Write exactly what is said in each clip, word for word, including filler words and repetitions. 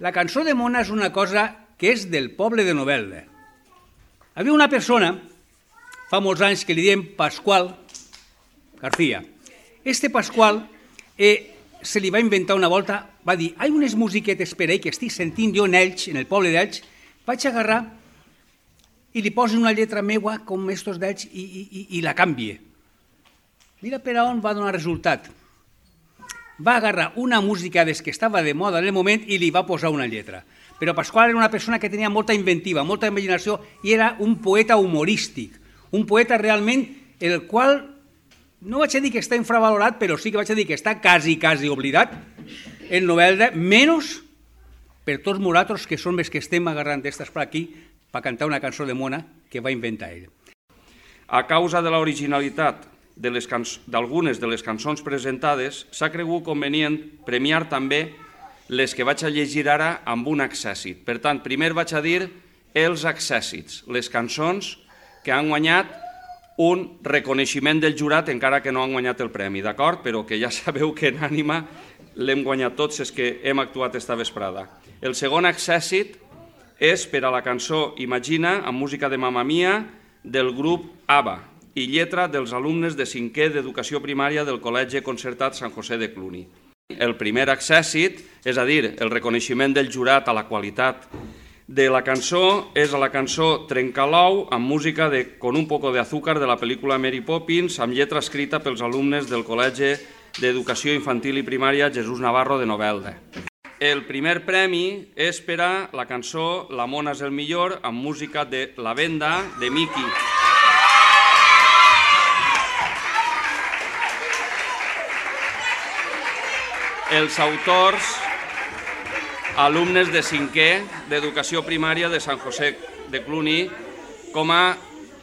La cançó de mona és una cosa que és del poble de Novelda. Hi havia una persona, fa molts anys, que li diem Pasqual García. Este Pasqual eh, se li va inventar una volta, va dir, hi ha unes musiquetes per ahí que estic sentint jo en Elx, en el poble d'Elx, vaig agarrar i li poso una lletra meua com estos d'Elx i, i, i, i la canvie. Mira per on va donar resultat. Va agarrar una música des que estava de moda en el moment i li va posar una lletra. Però Pasqual era una persona que tenia molta inventiva, molta imaginació i era un poeta humorístic, un poeta realment el qual, no vaig a dir que està infravalorat, però sí que vaig a dir que està quasi, quasi oblidat en Novelda, menys per tots nosaltres que som els que estem agarrant d'estes per aquí per cantar una cançó de mona que va inventar ell. A causa de l'originalitat d'algunes de les cançons presentades, s'ha cregut convenient premiar també les que vaig a llegir ara amb un accèssit. Per tant, primer vaig a dir els accèssits, les cançons que han guanyat un reconeixement del jurat encara que no han guanyat el premi, d'acord? Però que ja sabeu que en ànima l'hem guanyat tots els que hem actuat esta vesprada. El segon accèssit és per a la cançó Imagina, amb música de Mamma Mia, del grup ABBA i lletra dels alumnes de cinquè d'educació primària del Col·legi Concertat Sant José de Cluny. El primer accèssit, és a dir, el reconeixement del jurat a la qualitat de la cançó, és a la cançó Trencalou, amb música de Con un poco de azúcar de la pel·lícula Mary Poppins, amb lletra escrita pels alumnes del Col·legi d'Educació Infantil i Primària Jesús Navarro de Novelda. El primer premi és per a la cançó La mona és el millor, amb música de La Venda, de Miki. Els autors, alumnes de cinquè d'Educació Primària de Sant José de Cluny, com a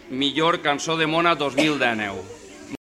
millor cançó de mona dos mil dinou.